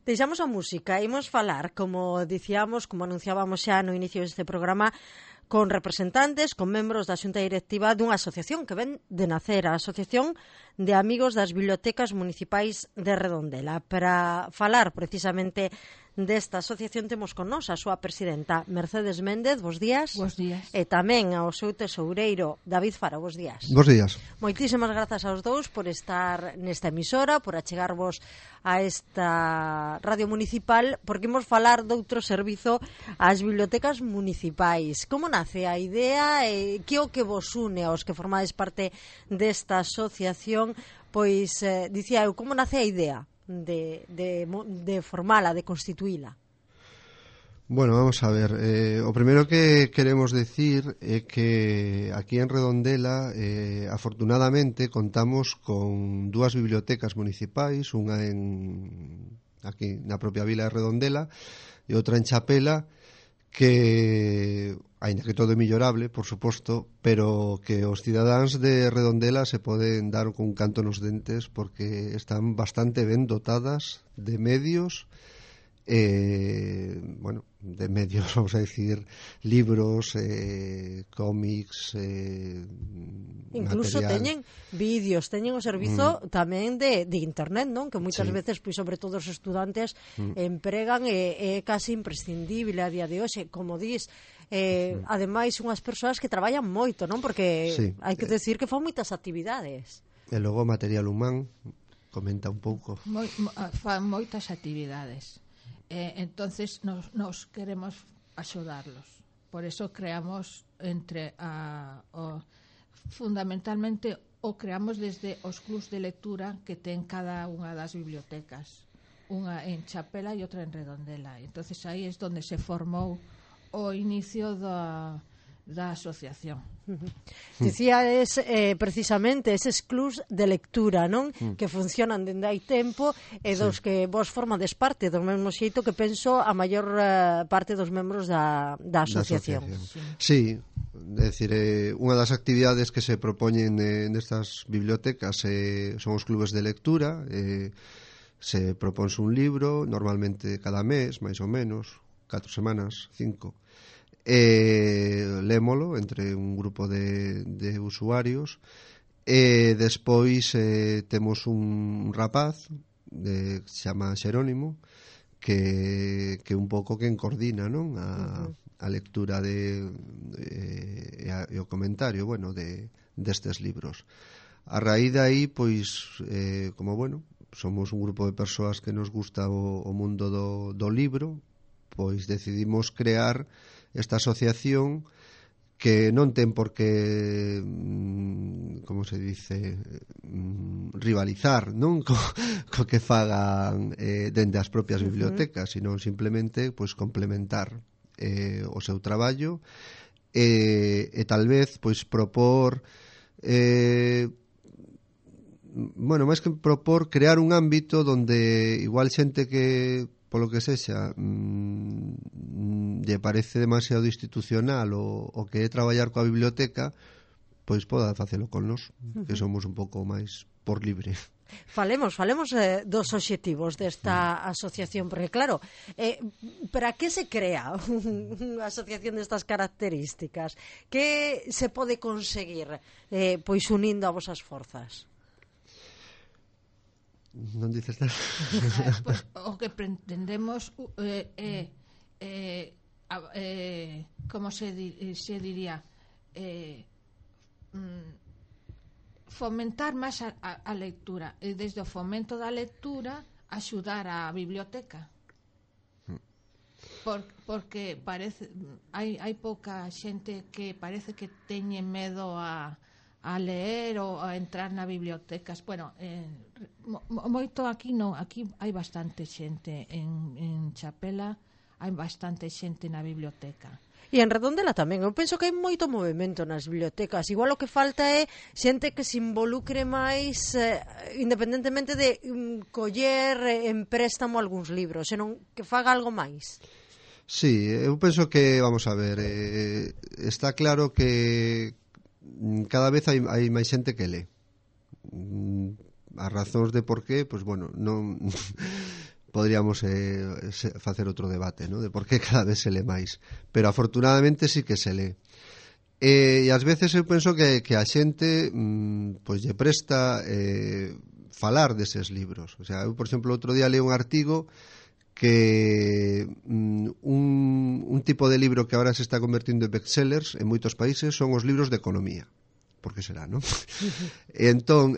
Deixamos a música, imos falar, como dicíamos, como anunciábamos xa no inicio deste programa, con representantes, con membros da xunta directiva dunha asociación que ven de nacer, a Asociación de Amigos das Bibliotecas Municipais de Redondela. Para falar precisamente desta asociación temos con nós a súa presidenta Mercedes Méndez, bos días. Bos días. E tamén ao seu tesoureiro David Faro, bos días. Bos días. Moitísimas grazas aos dous por estar nesta emisora, por achegarvos a esta radio municipal, porque imos falar doutro servizo ás bibliotecas municipais. Como nace a idea e que o que vos une aos que formades parte desta asociación? Pois, dicía eu, como nace a idea de formala, de constituíla? Bueno, vamos a ver, o primeiro que queremos decir é que aquí en Redondela afortunadamente contamos con dúas bibliotecas municipais, unha aquí na propia vila de Redondela e outra en Chapela, que, aínda que todo é millorable, por suposto, pero que os cidadáns de Redondela se poden dar con un canto nos dentes porque están bastante ben dotadas de medios, bueno, de medios, vamos a decir, libros, cómics, incluso material. Teñen vídeos, teñen o servizo tamén de internet, non? Que moitas veces, pois, sobre todo os estudantes empregan e é casi imprescindible a día de hoxe, como dis. Ademais, unhas persoas que traballan moito, non? Porque hai que decir que fan moitas actividades. E logo material humán, comenta un pouco. Fan moitas actividades. Entonces nos queremos axudarlos. Por eso creamos fundamentalmente o creamos desde os clubs de lectura que ten cada unha das bibliotecas, unha en Chapela e outra en Redondela. Entonces aí é onde se formou o inicio da asociación. Dicía precisamente eses clubs de lectura, non? Que funcionan dende hai tempo e dos que vos formades parte, do mesmo xeito que penso a maior parte dos membros da asociación. Sí, é dicir, unha das actividades que se propoñen nestas bibliotecas son os clubes de lectura. Se propónse un libro, normalmente cada mes, máis ou menos, 4 semanas, 5. Lémolo entre un grupo de usuarios e despois temos un rapaz que se chama Xerónimo que un pouco que coordina, non? A lectura e o comentario, bueno, destes libros. A raíz de aí, pois, como, bueno, somos un grupo de persoas que nos gusta o mundo do libro, pois decidimos crear esta asociación que non ten por que, como se dice, rivalizar, non? Co que fagan dende as propias bibliotecas, sino simplemente pois complementar o seu traballo e tal vez pois propor bueno, máis que propor, crear un ámbito donde igual xente que polo que sexa lle parece demasiado institucional o que é traballar coa biblioteca, pois poda facelo con nós, que somos un pouco máis por libre. Falemos dos obxectivos desta asociación, porque claro, para que se crea unha asociación destas características? Que se pode conseguir pois unindo a vosas forzas? Non dices nada? Pues, o que pretendemos como se diría, fomentar máis a lectura, e desde o fomento da lectura axudar a biblioteca, porque parece hai pouca xente que parece que teñe medo a leer ou a entrar na bibliotecas. Bueno, moito aquí non, aquí hai bastante xente en Chapela, hai bastante xente na biblioteca. E en Redondela tamén, eu penso que hai moito movimento nas bibliotecas. Igual o que falta é xente que se involucre máis, independentemente de coller en préstamo algúns libros, senón que faga algo máis. Sí, eu penso que, vamos a ver, está claro que cada vez hai máis xente que lee. As razóns de por qué, pois bueno, non poderíamos facer outro debate, ¿no? De por que cada vez se lê máis, pero afortunadamente sí que se lê. E ás veces eu penso que a xente pois lle presta falar deses libros. O sea, eu, por exemplo, outro día leí un artigo que un tipo de libro que ahora se está convertindo en bestsellers en moitos países son os libros de economía. Por que será, non? Entón,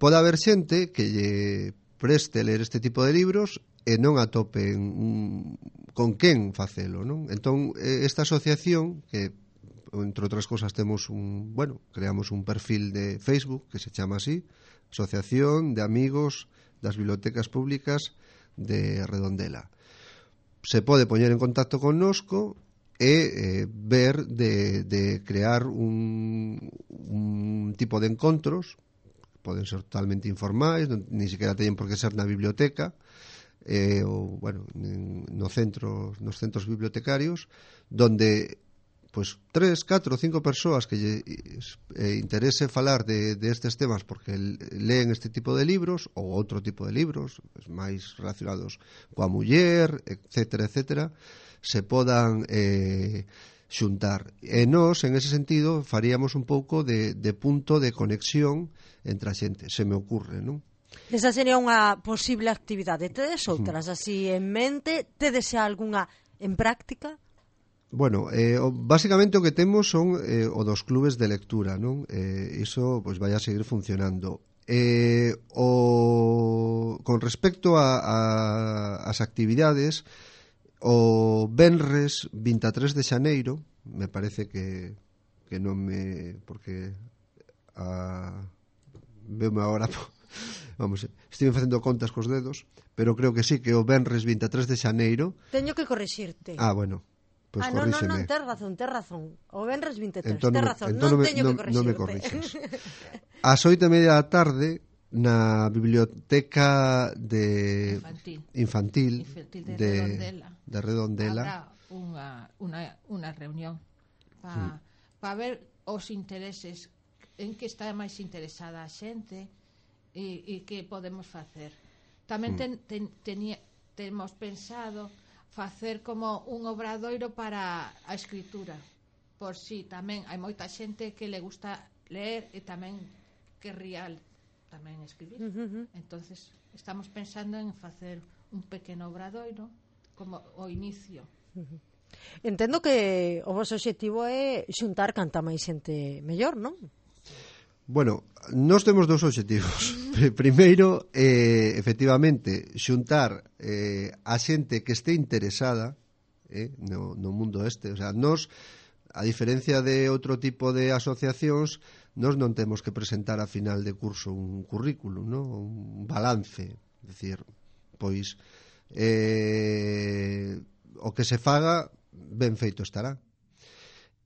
pode haber xente que lle preste ler este tipo de libros e non atopen con quen facelo, non? Entón, esta asociación, que entre outras cosas creamos un perfil de Facebook que se chama así, Asociación de Amigos das Bibliotecas Públicas de Redondela. Se pode poñer en contacto connosco e ver de crear un tipo de encontros, poden ser totalmente informais, ni siquiera teñen por que ser na biblioteca, ou, nos centros bibliotecarios, donde pois 3, 4, 5 persoas que lle interese falar de estes temas porque leen este tipo de libros ou outro tipo de libros máis relacionados coa muller, etcétera, se podan xuntar. E nós, en ese sentido, faríamos un pouco de punto de conexión entre a xente, se me ocurre, non? Esa sería unha posible actividade. Tedes outras así en mente? Tedes algunha en práctica? Bueno, básicamente o que temos son o dos clubes de lectura, non? Iso pois vai a seguir funcionando. Con respecto ás actividades, o venres 23 de xaneiro, me parece que non me... porque veume agora... Vamos, estive facendo contas cos dedos, pero creo que sí, que o venres 23 de xaneiro... Teño que corrixirte. Ah, bueno... Pues non, tes razón. O venres 23, tes razón, non teño que corrixirte. Non me corrixes. Ás 8:30 da tarde, na biblioteca infantil de Redondela habrá unha reunión para ver os intereses, en que está máis interesada a xente e que podemos facer. Tamén temos pensado facer como un obradoiro para a escritura, por si tamén hai moita xente que le gusta ler e tamén querría tamén escribir. Entonces estamos pensando en facer un pequeno obradoiro como o inicio. Entendo que o vosso obxectivo é xuntar canta máis xente mellor, non? Bueno, nós temos dous obxectivos. Primeiro, efectivamente, xuntar a xente que este interesada no mundo este. O sea, nós, a diferencia de outro tipo de asociacións, nós non temos que presentar a final de curso un currículum, ¿no? Un balance. É dicir, pois, o que se faga, ben feito estará.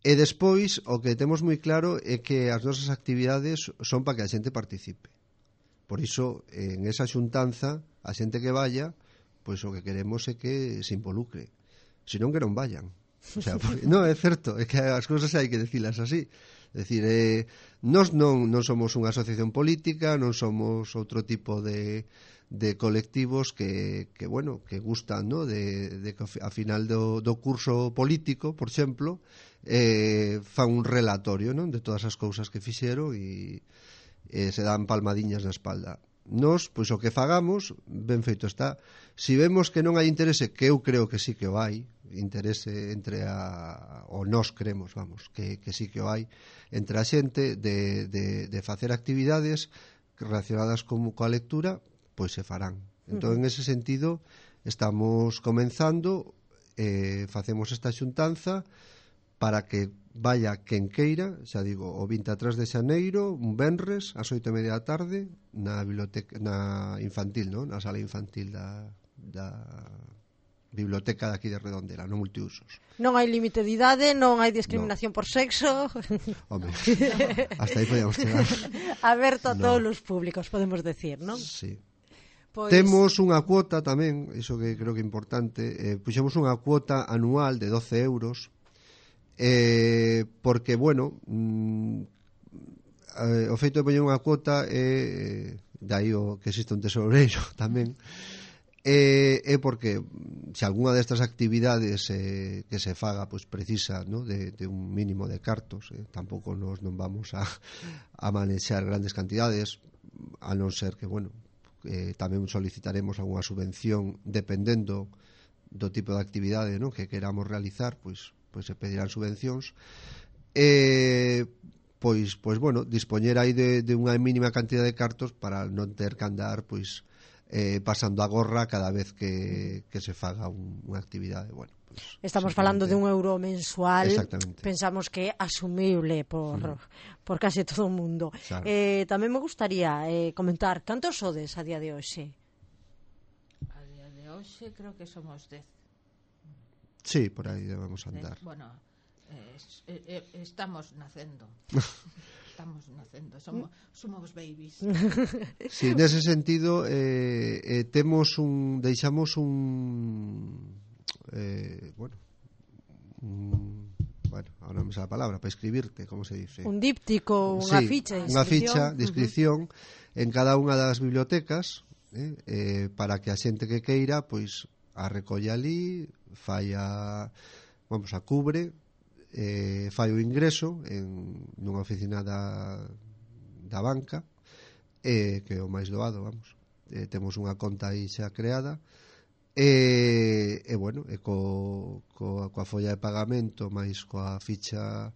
E despois, o que temos moi claro é que as nosas actividades son para que a xente participe. Por iso, en esa xuntanza, a xente que vaya, pois o que queremos é que se involucre. Senón que non vayan. O sea, non, é certo, é que as cousas hai que decilas así. É dicir, nós non somos unha asociación política, non somos outro tipo de colectivos que gustan, ¿no? de que a final do curso político, por exemplo, fan un relatorio, non? De todas as cousas que fixeron e se dan palmadiñas na espalda. Nós, pois o que fagamos, ben feito está. Si vemos que non hai interese, que eu creo que sí que o hai, interese entre ou nós creemos, vamos, que sí que o hai, entre a xente de facer actividades relacionadas coa lectura, pois se farán. Entón, en ese sentido, estamos comenzando, facemos esta xuntanza para que vaya quen queira, xa digo, o 23 de xaneiro, un venres, ás 8:30 da tarde, na biblioteca, na infantil, non? Na sala infantil da biblioteca de aquí de Redondela, no multiusos. Non hai límite de idade, non hai discriminación por sexo. Home, hasta aí podíamos chegar. Aberto a todos os públicos, podemos decir, non? Sí. Pois... Temos unha cuota tamén, iso que creo que é importante, puxemos unha cuota anual de 12 euros, porque, bueno, o feito de poñer unha cuota de aí o que existe un tesoureiro tamén, é porque se algunha destas actividades que se faga pois precisa, ¿no? de un mínimo de cartos, tampouco nos non vamos a manexar grandes cantidades, a non ser que, bueno, tamén solicitaremos algunha subvención dependendo do tipo de actividade, ¿no? que queramos realizar, pois se pedirán subvencións. Pois bueno, dispoñer aí de unha mínima cantidad de cartos para non ter que andar pois pasando a gorra cada vez que se faga unha actividade. Bueno, pues, estamos falando de €1 mensual. Pensamos que é asumible por case todo o mundo. Claro. Tamén me gustaría comentar, cantos sodes a día de hoxe? A día de hoxe creo que somos 10. Sí, por aí debemos andar. Bueno, estamos nacendo. Somos babies. Sí, nese sentido deixamos ahora non me sale a palabra, para escribirte, como se dice? Un díptico, unha ficha de inscripción. Unha ficha de inscripción en cada unha das bibliotecas, para que a xente que queira, pois, a recolle ali, a cubre, fai o ingreso nunha oficina da banca, que é o máis doado, vamos. Temos unha conta aí xa creada, bueno, coa folla de pagamento máis coa ficha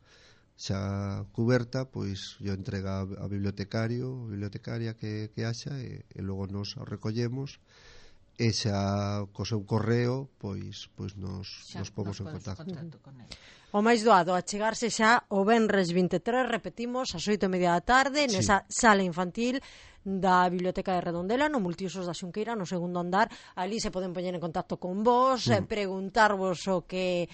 xa cuberta, pois yo entrega a bibliotecaria que haxa, e logo nos o recollemos, e xa co seu correo pois nos pomos en contacto con ele. O máis doado, achegarse xa o venres 23, repetimos, ás 8:30 da tarde, nesa sala infantil da Biblioteca de Redondela, no Multiusos da Xunqueira, no segundo andar. Ali se poden poñer en contacto con vos, preguntarvos o que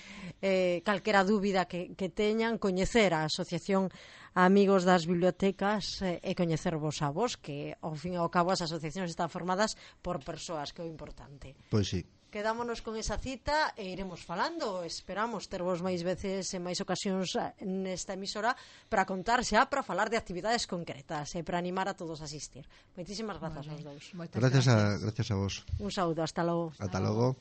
calquera dúbida que teñan, coñecer a Asociación Amigos das Bibliotecas e coñecervos a vos, que ao fin e ao cabo as asociacións están formadas por persoas, que é o importante. Pois sí. Quedámonos con esa cita e iremos falando. Esperamos tervos máis veces e máis ocasións nesta emisora para contar xa, para falar de actividades concretas e para animar a todos a asistir. Moitísimas grazas aos dous. Gracias a vos. Un saúdo, hasta logo. Ata logo.